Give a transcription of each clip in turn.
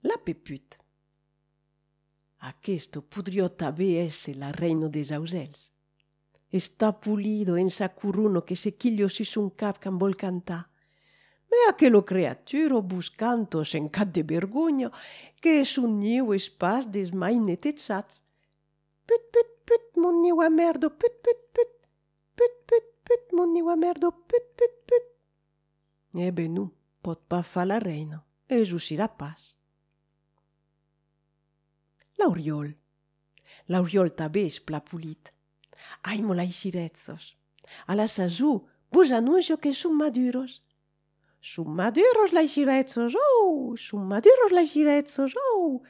La Peput. Aquesto podria també ésser la reina des ausells. Està pulido en sa curuno que se chiglio su son cap can vol cantar. Me aquello creaturo buscanto sen cap de vergogna que son niu es pas des mai netetzats. Put, put, put, mon niu a merdo, put, put, put. Put, put, put, mon niu a merdo, put, put, put. Ben non, pot pas fa la reina, es usirà pas. L'auriol. L'auriol també és pla pulit. Ai, mola xirezzos. A la sazú, vos annuncio que son maduros. Son maduros la xirezzos, oh! Son maduros la xirezzos, oh!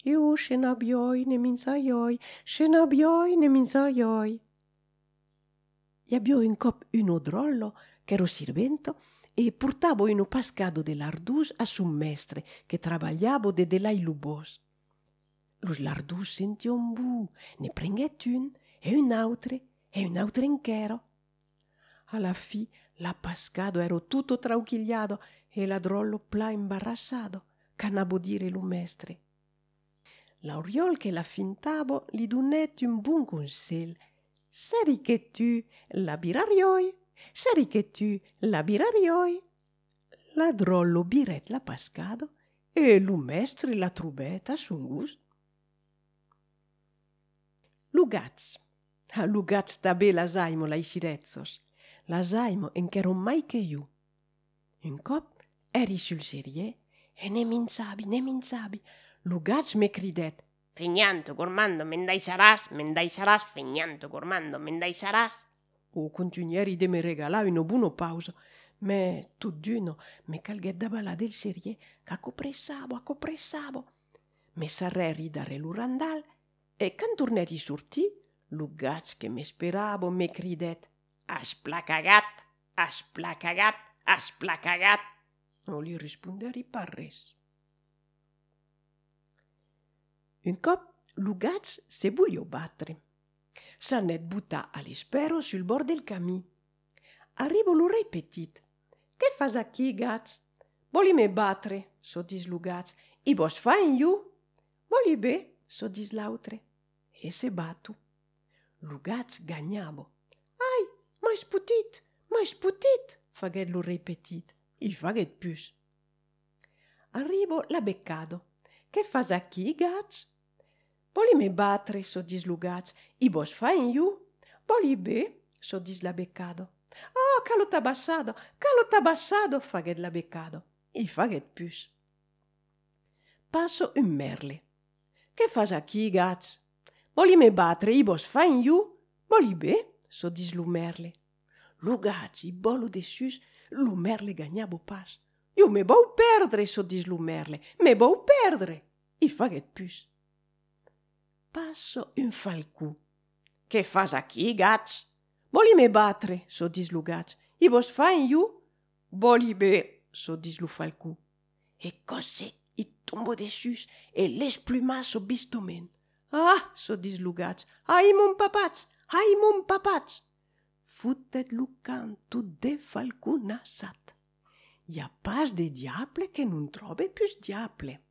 Io ce n'abbioi ne minzaioi, ce n'abbioi ne minzaioi. I abbio un cop uno drollo, ch'ero sirvento, e portavo uno pascado de lardus a son mestre, che travagliavo de lai lubos. Los lardus sention bu, ne prenguet un autre enquero. Alla fi, la pascado ero tutto trauchigliado e la drollo pla imbarassado, canabo dire lo mestre. L'auriol che la fintavo li donet un bon consell. Seri che tu la birarioi, seri che tu la birarioi. La drollo biret la pascado e lo mestre la trubet a son gust. Lugats. A lugats també las aimo la xirezzos. Las aimo ench'ero mai che io. Un cop eri sul serier e ne minzabi. Lugats me cridet. Feignanto, gormando, me'n deixaràs, feignanto, gormando, me'n deixaràs. O continueri de me regalar una buona pausa, me tot d'uno me calguet davalà del serier qu'accopressavo. Me sarreri darrere lo randal e can torneri sortir, lugats que m'esperavo me cridet. Has placagat. No li risponderi pas res. Un cop, lugats se voglio battre. S'anet buttar a l'espero sul bord del camí. Arrivo lo rei petit. Che fas aquí, gats? Voli me battre, so dis lugats. I vos fa in iu? Voli bé, so dis l'autre. E se batu. Lugats gagnavo. Ai, m'has putit, faguet lo rei petit. I faguet pus. Arrivo la beccado. Che fas aquí, gats? Voli me battre, so dis lugats. I vos fa in iu? Voli bé, so dis la beccado. Oh, calo tabassado, faguet la beccado. I faguet pus. Passo un merle. Che fas aquí, gats? Voli me battre, i vos fa in iu? Voli bé, so dis lo merle. Lugats, i bolo de sus, lo merle gagnavo pas. Io me vau perdre, so dis lo merle. Me vau perdre. I faguet pus. Passo un falcù. Che fas aquí, gats? Voli me battre, so dis lo gats. I vos fa in iu? Voli bé, so dis lo falcù. E cosè i tombo de sus e l'esplumasso bistomen. Ah, so dis lo gats. Ai, mon papats. Futet lo canto de falcù nassat. I ha pas de diable che non trobe pus diable.